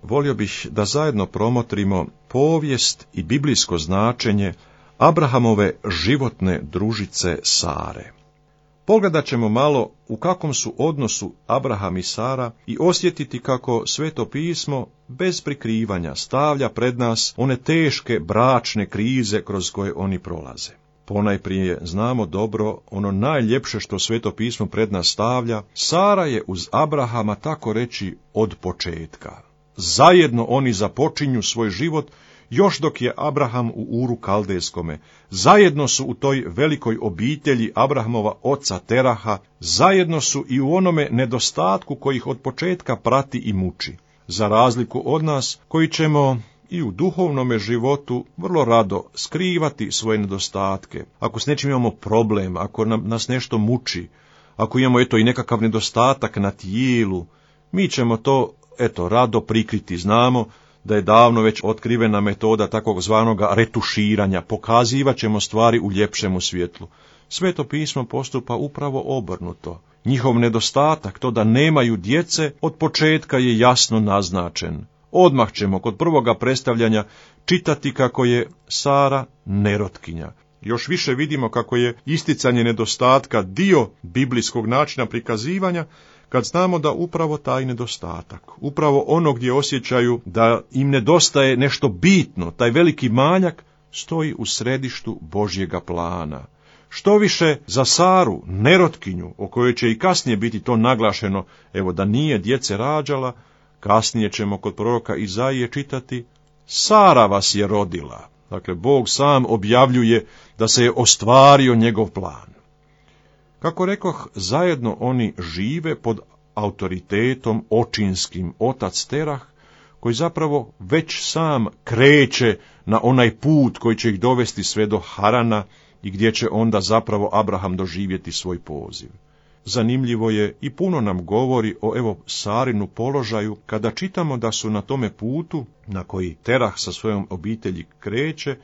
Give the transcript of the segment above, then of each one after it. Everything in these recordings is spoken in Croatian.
volio bih da zajedno promotrimo povijest i biblijsko značenje Abrahamove životne družice Sare. Pogledat ćemo malo u kakvom su odnosu Abraham i Sara i osjetiti kako Sveto pismo bez prikrivanja stavlja pred nas one teške bračne krize kroz koje oni prolaze. Ponajprije znamo dobro ono najljepše što Sveto pismo pred nas stavlja, Sara je uz Abrahama tako reći od početka. Zajedno oni započinju svoj život još dok je Abraham u Uru Kaldejskome. Zajedno su u toj velikoj obitelji Abrahamova oca Teraha, zajedno su i u onome nedostatku koji ih od početka prati i muči. Za razliku od nas koji ćemo i u duhovnome životu vrlo rado skrivati svoje nedostatke. Ako s nečim imamo problem, ako nas nešto muči, ako imamo i nekakav nedostatak na tijelu, mi ćemo to rado prikriti. Znamo da je davno već otkrivena metoda takvog zvanoga retuširanja, pokazivat ćemo stvari u ljepšemu svjetlu. Sveto pismo postupa upravo obrnuto. Njihov nedostatak, to da nemaju djece, od početka je jasno naznačen. Odmah ćemo kod prvoga predstavljanja čitati kako je Sara nerotkinja. Još više vidimo kako je isticanje nedostatka dio biblijskog načina prikazivanja, kad znamo da upravo taj nedostatak, upravo ono gdje osjećaju da im nedostaje nešto bitno, taj veliki manjak, stoji u središtu Božjega plana. Što više za Saru, nerotkinju, o kojoj će i kasnije biti to naglašeno, da nije djece rađala, kasnije ćemo kod proroka Izaije čitati, Sara vas je rodila. Dakle, Bog sam objavljuje da se je ostvario njegov plan. Kako rekoh, zajedno oni žive pod autoritetom očinskim otac Terah, koji zapravo već sam kreće na onaj put koji će ih dovesti sve do Harana i gdje će onda zapravo Abraham doživjeti svoj poziv. Zanimljivo je i puno nam govori o Sarinu položaju kada čitamo da su na tome putu na koji Terah sa svojom obitelji kreće,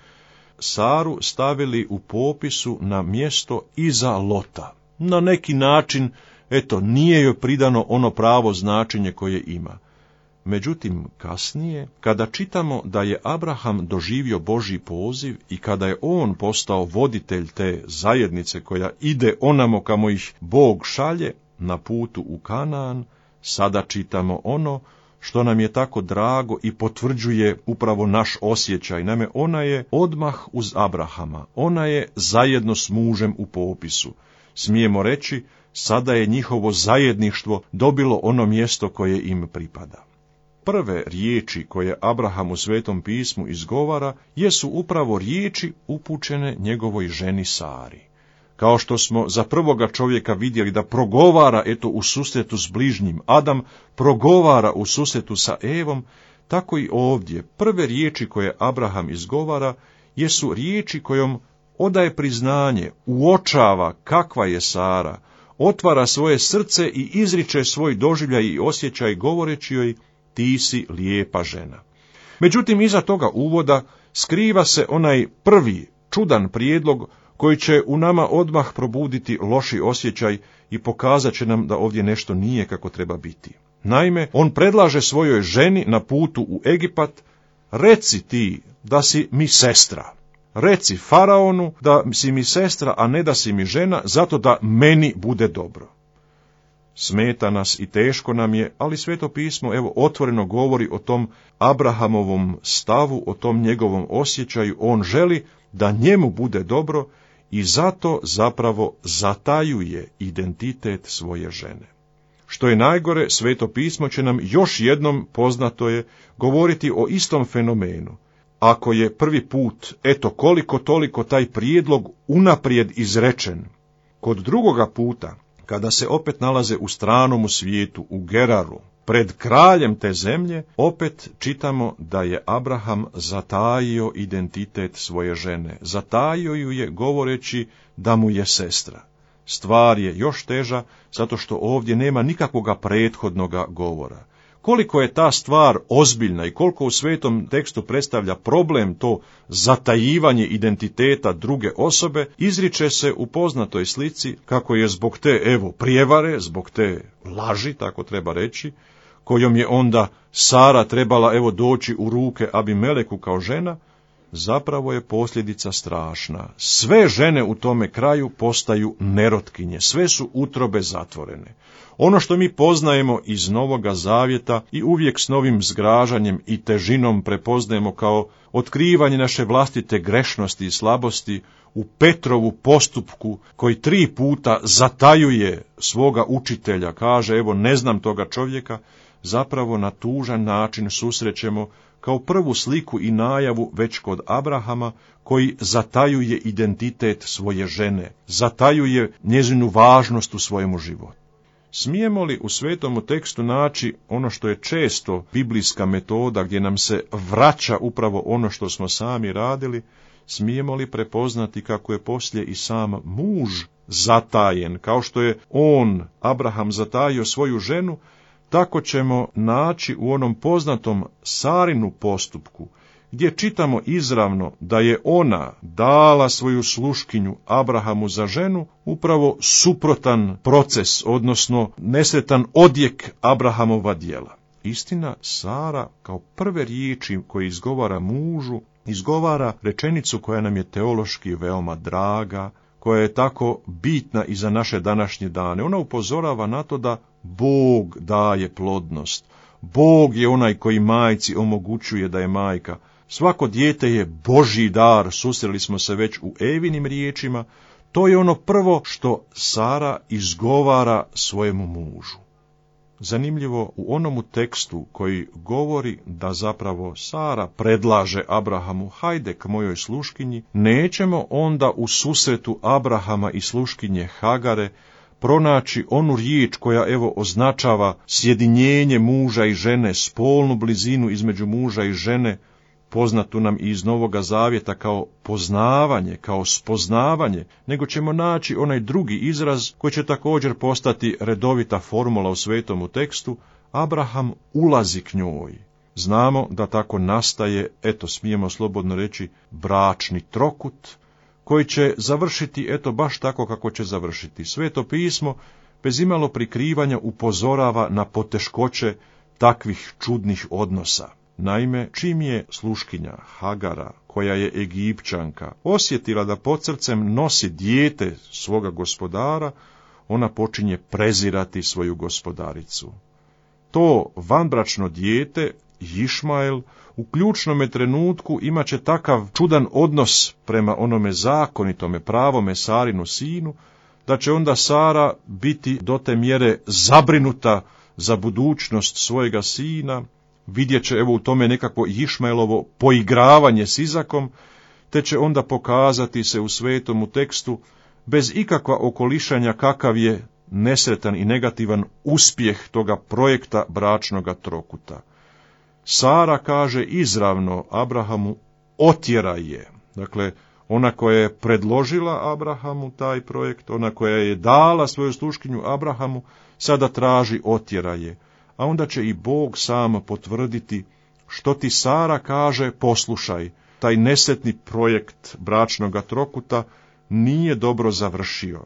Saru stavili u popisu na mjesto iza Lota. Na neki način, nije joj pridano ono pravo značenje koje ima. Međutim, kasnije, kada čitamo da je Abraham doživio Božji poziv i kada je on postao voditelj te zajednice koja ide onamo kamo ih Bog šalje na putu u Kanaan, sada čitamo ono što nam je tako drago i potvrđuje upravo naš osjećaj. Naime, ona je odmah uz Abrahama, ona je zajedno s mužem u popisu. Smijemo reći, sada je njihovo zajedništvo dobilo ono mjesto koje im pripada. Prve riječi koje Abraham u Svetom pismu izgovara jesu upravo riječi upućene njegovoj ženi Sari. Kao što smo za prvoga čovjeka vidjeli da progovara u susretu s bližnjim, Adam progovara u susretu sa Evom, tako i ovdje prve riječi koje Abraham izgovara jesu riječi kojom odaje priznanje, uočava kakva je Sara, otvara svoje srce i izriče svoj doživljaj i osjećaj govoreći joj, ti si lijepa žena. Međutim, iza toga uvoda skriva se onaj prvi čudan prijedlog koji će u nama odmah probuditi loši osjećaj i pokazat će nam da ovdje nešto nije kako treba biti. Naime, on predlaže svojoj ženi na putu u Egipat, reci ti da si mi sestra. Reci faraonu da si mi sestra, a ne da si mi žena, zato da meni bude dobro. Smeta nas i teško nam je, ali Sveto pismo otvoreno govori o tom Abrahamovom stavu, o tom njegovom osjećaju. On želi da njemu bude dobro i zato zapravo zatajuje identitet svoje žene. Što je najgore, Sveto pismo će nam još jednom, poznato je, govoriti o istom fenomenu. Ako je prvi put, koliko toliko taj prijedlog unaprijed izrečen, kod drugoga puta, kada se opet nalaze u stranom svijetu, u Geraru, pred kraljem te zemlje, opet čitamo da je Abraham zatajio identitet svoje žene. Zatajio ju je govoreći da mu je sestra. Stvar je još teža, zato što ovdje nema nikakvoga prethodnoga govora. Koliko je ta stvar ozbiljna i koliko u svetom tekstu predstavlja problem to zatajivanje identiteta druge osobe, izriče se u poznatoj slici kako je zbog te prijevare, zbog te laži, tako treba reći, kojom je onda Sara trebala doći u ruke Abimeleku kao žena, zapravo je posljedica strašna. Sve žene u tome kraju postaju nerotkinje, sve su utrobe zatvorene. Ono što mi poznajemo iz Novoga Zavjeta i uvijek s novim zgražanjem i težinom prepoznajemo kao otkrivanje naše vlastite grešnosti i slabosti u Petrovu postupku koji 3 puta zatajuje svoga učitelja, kaže ne znam toga čovjeka, zapravo na tužan način susrećemo kao prvu sliku i najavu već kod Abrahama, koji zatajuje identitet svoje žene, zatajuje njezinu važnost u svojemu životu. Smijemo li u svetomu tekstu naći ono što je često biblijska metoda gdje nam se vraća upravo ono što smo sami radili, smijemo li prepoznati kako je poslije i sam muž zatajen, kao što je Abraham zatajio svoju ženu, tako ćemo naći u onom poznatom Sarinu postupku, gdje čitamo izravno da je ona dala svoju sluškinju Abrahamu za ženu, upravo suprotan proces, odnosno nesretan odjek Abrahamova djela. Istina, Sara kao prve riječi koje izgovara mužu, izgovara rečenicu koja nam je teološki veoma draga, koja je tako bitna i za naše današnje dane. Ona upozorava na to da Bog daje plodnost. Bog je onaj koji majci omogućuje da je majka. Svako dijete je Božji dar, susreli smo se već u Evinim riječima. To je ono prvo što Sara izgovara svojemu mužu. Zanimljivo, u onomu tekstu koji govori da zapravo Sara predlaže Abrahamu, hajde k mojoj sluškinji, nećemo onda u susretu Abrahama i sluškinje Hagare pronaći onu riječ koja označava sjedinjenje muža i žene, spolnu blizinu između muža i žene, poznatu nam i iz Novoga Zavjeta kao poznavanje, kao spoznavanje, nego ćemo naći onaj drugi izraz koji će također postati redovita formula u svetomu tekstu, Abraham ulazi k njoj. Znamo da tako nastaje, smijemo slobodno reći, bračni trokut, koji će završiti baš tako kako će završiti. Sveto pismo bez imalo prikrivanja upozorava na poteškoće takvih čudnih odnosa. Naime, čim je sluškinja Hagara, koja je Egipćanka, osjetila da pod srcem nosi dijete svoga gospodara, ona počinje prezirati svoju gospodaricu. To vanbračno dijete, Išmael, u ključnome trenutku imat će takav čudan odnos prema onome zakonitome, pravome Sarinu sinu, da će onda Sara biti do te mjere zabrinuta za budućnost svojega sina, vidjet će u tome nekakvo Išmaelovo poigravanje s Izakom, te će onda pokazati se u svetomu tekstu bez ikakva okolišanja kakav je nesretan i negativan uspjeh toga projekta bračnoga trokuta. Sara kaže izravno Abrahamu, otjeraj je. Dakle, ona koja je predložila Abrahamu taj projekt, ona koja je dala svoju sluškinju Abrahamu, sada traži otjeraj je. A onda će i Bog sam potvrditi, što ti Sara kaže, poslušaj, taj nesretni projekt bračnoga trokuta nije dobro završio.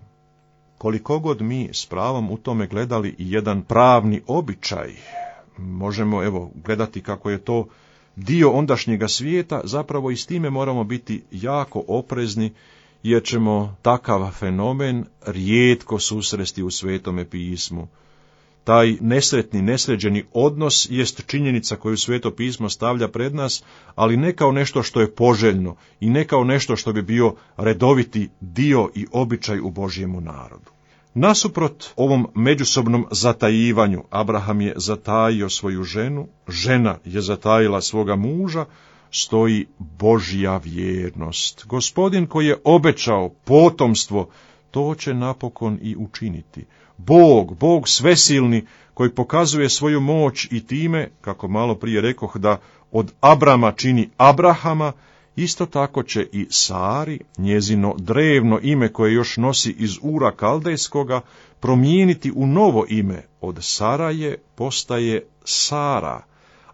Koliko god mi s pravom u tome gledali i jedan pravni običaj, možemo gledati kako je to dio ondašnjega svijeta, zapravo i s time moramo biti jako oprezni, jer ćemo takav fenomen rijetko susresti u Svetome pismu. Taj nesretni, nesređeni odnos jest činjenica koju Sveto pismo stavlja pred nas, ali ne kao nešto što je poželjno i ne kao nešto što bi bio redoviti dio i običaj u Božjemu narodu. Nasuprot ovom međusobnom zatajivanju, Abraham je zatajio svoju ženu, žena je zatajila svoga muža, stoji Božja vjernost. Gospodin koji je obećao potomstvo, to će napokon i učiniti. Bog svesilni, koji pokazuje svoju moć i time, kako malo prije rekoh, da od Abrama čini Abrahama, isto tako će i Sari, njezino drevno ime koje još nosi iz Ura Kaldejskoga, promijeniti u novo ime. Od Saraje postaje Sara,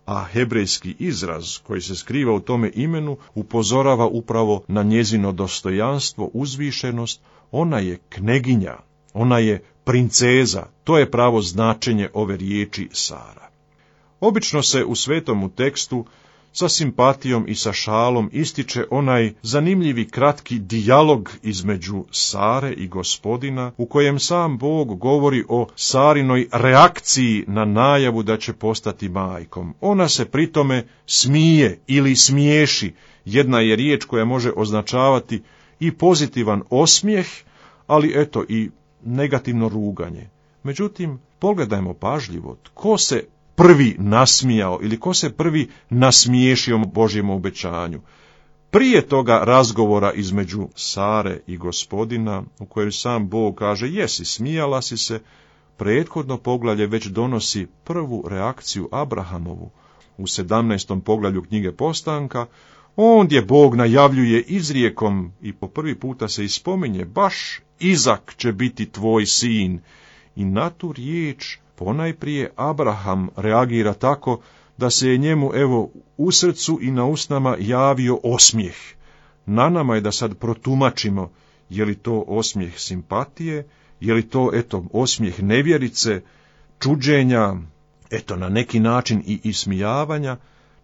a hebrejski izraz koji se skriva u tome imenu upozorava upravo na njezino dostojanstvo, uzvišenost. Ona je kneginja, ona je princeza, to je pravo značenje ove riječi Sara. Obično se u svetomu tekstu sa simpatijom i sa šalom ističe onaj zanimljivi kratki dijalog između Sare i Gospodina, u kojem sam Bog govori o Sarinoj reakciji na najavu da će postati majkom. Ona se pritome smije ili smiješi. Jedna je riječ koja može označavati i pozitivan osmijeh, ali eto i negativno ruganje. Međutim, pogledajmo pažljivo, tko se prvi nasmijao ili ko se prvi nasmiješio Božjem obećanju. Prije toga razgovora između Sare i Gospodina, u kojem sam Bog kaže, jesi, smijala si se, prethodno poglavlje već donosi prvu reakciju Abrahamovu. U 17. poglavlju knjige Postanka, ondje Bog najavljuje izrijekom i po prvi puta se ispominje, baš Izak će biti tvoj sin. I na tu riječ ponajprije Abraham reagira tako da se je njemu u srcu i na usnama javio osmijeh. Na nama je da sad protumačimo je li to osmijeh simpatije, je li to osmijeh nevjerice, čuđenja, na neki način i ismijavanja.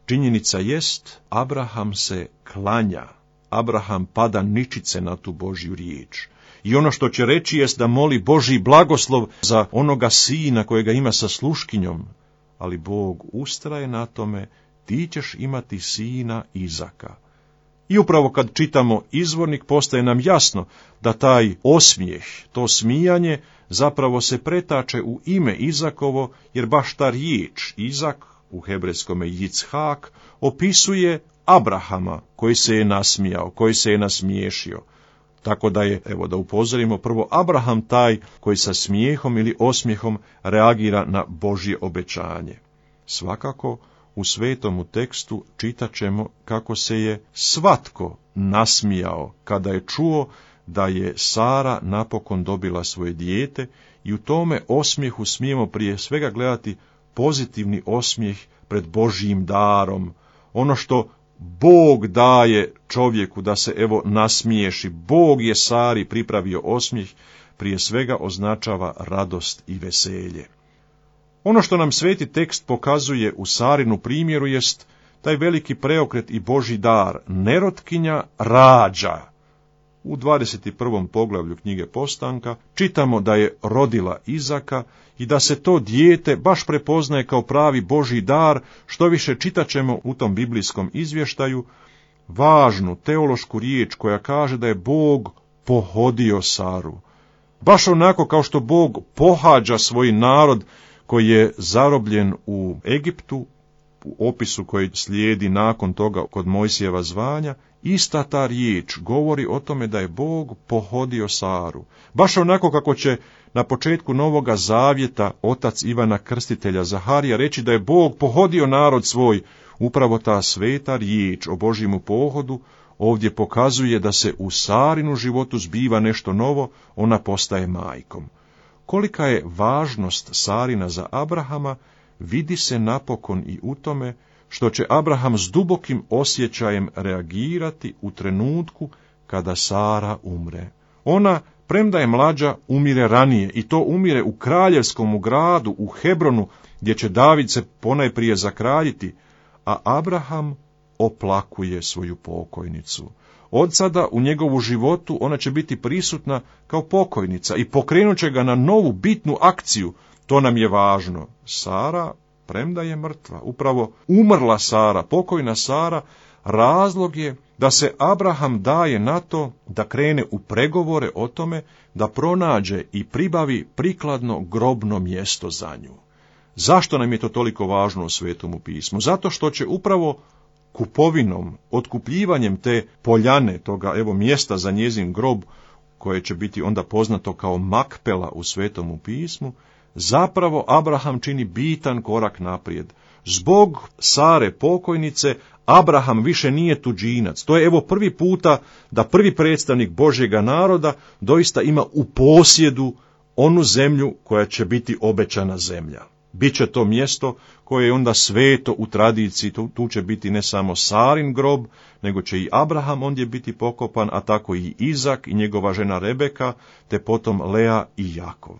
Činjenica jest, Abraham se klanja, Abraham pada ničice na tu Božju riječ. I ono što će reći jest da moli Božji blagoslov za onoga sina kojega ima sa sluškinjom, ali Bog ustraje na tome, ti ćeš imati sina Izaka. I upravo kad čitamo izvornik postaje nam jasno da taj osmijeh, to smijanje, zapravo se pretače u ime Izakovo, jer baš ta riječ Izak, u hebrejskome Jicchak, opisuje Abrahama koji se je nasmijao, koji se je nasmiješio. Tako da je, da upozorimo, prvo Abraham taj koji sa smijehom ili osmijehom reagira na Božje obećanje. Svakako, u svetomu tekstu čitat ćemo kako se je svatko nasmijao kada je čuo da je Sara napokon dobila svoje dijete, i u tome osmijehu smijemo prije svega gledati pozitivni osmijeh pred Božjim darom, ono što Bog daje čovjeku da se nasmiješi. Bog je Sari pripravio osmijeh, prije svega označava radost i veselje. Ono što nam sveti tekst pokazuje u Sarinu primjeru jest taj veliki preokret i Božji dar. Nerotkinja rađa. U 21. poglavlju knjige Postanka čitamo da je rodila Izaka i da se to dijete baš prepoznaje kao pravi Božji dar, što više čitat ćemo u tom biblijskom izvještaju važnu teološku riječ koja kaže da je Bog pohodio Saru. Baš onako kao što Bog pohađa svoj narod koji je zarobljen u Egiptu, u opisu koji slijedi nakon toga kod Mojsijeva zvanja, ista ta riječ govori o tome da je Bog pohodio Saru. Baš onako kako će na početku Novoga Zavjeta otac Ivana Krstitelja Zaharija reći da je Bog pohodio narod svoj, upravo ta sveta riječ o Božjemu pohodu ovdje pokazuje da se u Sarinu životu zbiva nešto novo, ona postaje majkom. Kolika je važnost Sarina za Abrahama, vidi se napokon i u tome što će Abraham s dubokim osjećajem reagirati u trenutku kada Sara umre. Ona, premda je mlađa, umire ranije, i to umire u kraljevskom gradu, u Hebronu, gdje će David se ponajprije zakraljiti, a Abraham oplakuje svoju pokojnicu. Od sada u njegovu životu ona će biti prisutna kao pokojnica i pokrenut će ga na novu bitnu akciju. To nam je važno. Sara, premda je mrtva, upravo umrla Sara, pokojna Sara, razlog je da se Abraham daje na to da krene u pregovore o tome da pronađe i pribavi prikladno grobno mjesto za nju. Zašto nam je to toliko važno u Svetomu pismu? Zato što će upravo kupovinom, otkupljivanjem te poljane, toga mjesta za njezin grob, koje će biti onda poznato kao Makpela u Svetomu pismu, zapravo Abraham čini bitan korak naprijed. Zbog Sare pokojnice Abraham više nije tuđinac. To je prvi puta da prvi predstavnik Božjega naroda doista ima u posjedu onu zemlju koja će biti obećana zemlja. Biće to mjesto koje je onda sveto u tradiciji, tu će biti ne samo Sarin grob, nego će i Abraham ondje biti pokopan, a tako i Izak i njegova žena Rebeka, te potom Lea i Jakov.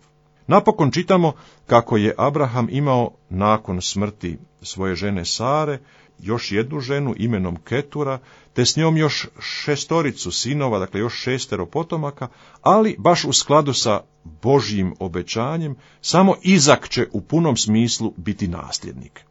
Napokon čitamo kako je Abraham imao nakon smrti svoje žene Sare još jednu ženu imenom Ketura, te s njom još 6 sinova, dakle još 6 potomaka, ali baš u skladu sa Božjim obećanjem, samo Izak će u punom smislu biti nasljednik.